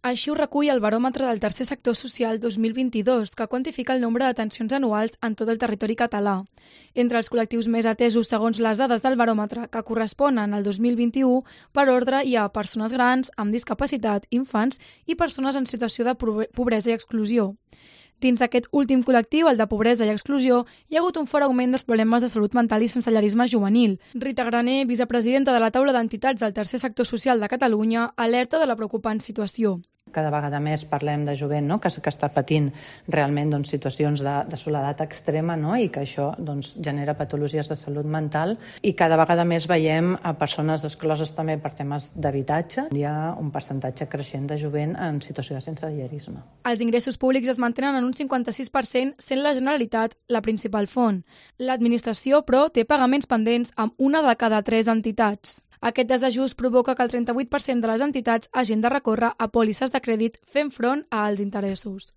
Així ho recull el baròmetre del Tercer Sector Social 2022, que quantifica el nombre d'atencions anuals en tot el territori català. Entre els col·lectius més atesos segons les dades del baròmetre, que corresponen al 2021, per ordre hi ha persones grans, amb discapacitat, infants i persones en situació de pobresa i exclusió. Dins d'aquest últim col·lectiu, el de pobresa i exclusió, hi ha hagut un fort augment dels problemes de salut mental i sensellarisme juvenil. Rita Graner, vicepresidenta de la taula d'entitats del Tercer Sector Social de Catalunya, alerta de la preocupant situació. Cada vegada més parlem de jovent, no? que està patint realment situacions de soledat extrema, no? I que això genera patologies de salut mental, i cada vegada més veiem a persones excloses també per temes d'habitatge. Hi ha un percentatge creixent de jovent en situació de sensellarisme. Els ingressos públics es mantenen en un 56%, sent la Generalitat la principal font. L'administració, però, té pagaments pendents amb una de cada 3 entitats. Aquest desajust provoca que el 38% de les entitats hagin de recórrer a pòlisses de crèdit fent front a alts interessos.